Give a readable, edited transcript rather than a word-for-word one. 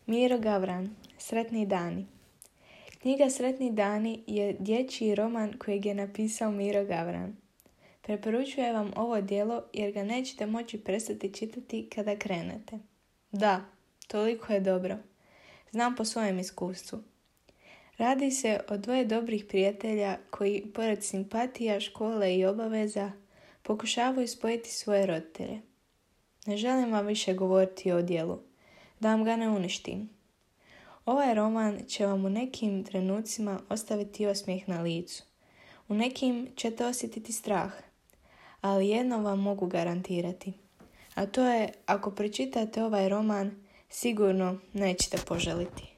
Miro Gavran, Sretni dani. Knjiga Sretni dani je dječji roman kojeg je napisao Miro Gavran. Preporučujem vam ovo djelo jer ga nećete moći prestati čitati kada krenete. Da, toliko je dobro. Znam po svojem iskustvu. Radi se o dvoje dobrih prijatelja koji, pored simpatija, škole i obaveza, pokušavaju spojiti svoje roditelje. Ne želim vam više govoriti o djelu, da vam ga ne uništim. Ovaj roman će vam u nekim trenucima ostaviti osmijeh na licu. U nekim ćete osjetiti strah, ali jedno vam mogu garantirati. A to je, ako pročitate ovaj roman, sigurno nećete poželiti.